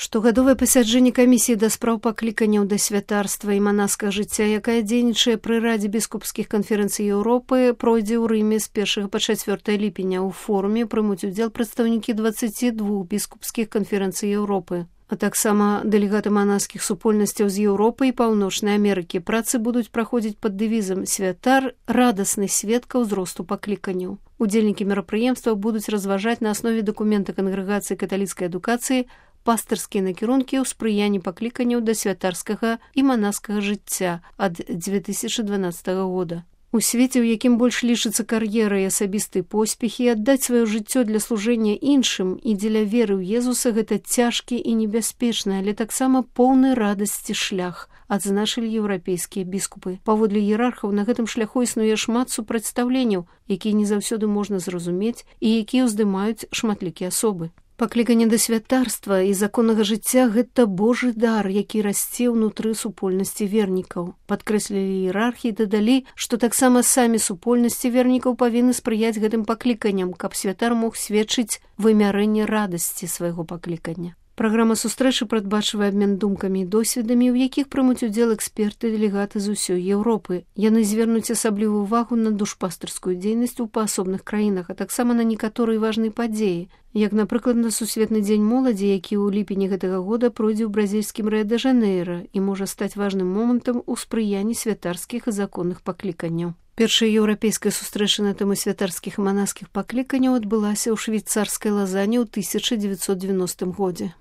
Штогадовае пасяджэнне камісіі да спраў пакліканняў да святарства і манаскага жыцця, якая дзейнічае пры Радзе біскупскіх канферэнцый Еўропы, пройдзе ў Рыме з 1 па 4 ліпеня. У форуме прымуць удзел прадстаўнікі 22 біскупскіх канферэнцый Еўропы, а таксама дэлегаты манаскіх супольнасцяў з Еўропы і Паўночнай Амерыкі. Працы будуць праходзіць пад дэвізам «Святар – радасны сведка ўзросту пакліканняў». Удзельнікі мерапрыемства будуць разважаць на аснове дакумента Кангрэгацыі каталіцкай адукацыі пастырскія накірункі ў спрыянні пакліканняў да святарскага і манаскага жыцця ад 2012 года. У свеце, у якім больш лічыцца кар'ера і асабістыя поспехі, аддаць сваё жыццё для служэння іншым і дзеля веры ў Езуса гэта цяжкі і небяспечны, але таксама поўны радасці шлях, адзначылі еўрапейскія біскупы. Паводле іерархаў на гэтым шляху існуе шмат супрацьстаўленняў, якія не заўсёды можна зразумець і якія ўздымаюць шматлікія асобы. Пакліканне да святарства і законнага жыцця – гэта Божы дар, які расце ўнутры супольнасці вернікаў. Падкрэслілі іерархі і дадалі, што таксама самі супольнасці вернікаў павінны спрыяць гэтым пакліканням, каб святар мог сведчыць вымярэнне радасці свайго паклікання. Праграма сустрэчы прадбачвае абмен думкамі і досведамі, у якіх прымуць удзел эксперты і дэлегаты з усёй Еўропы. Яны звернуць асаблівую ўвагу на душпастырскую дзейнасць у паасобных краінах, а таксама на некаторыя важныя падзеі, як, напрыклад, на Сусветны дзень моладзі, які ў ліпені гэтага года пройдзе ў бразільскім Рыа-дэ-Жанэйра і можа стаць важным момантам у спрыянні святарскіх і законных пакліканняў. Першая еўрапейская сустрэча на тэму святарскіх і манаскіх пакліканняў адбылася ў швейцарскай Лазані ў 1990 годзе.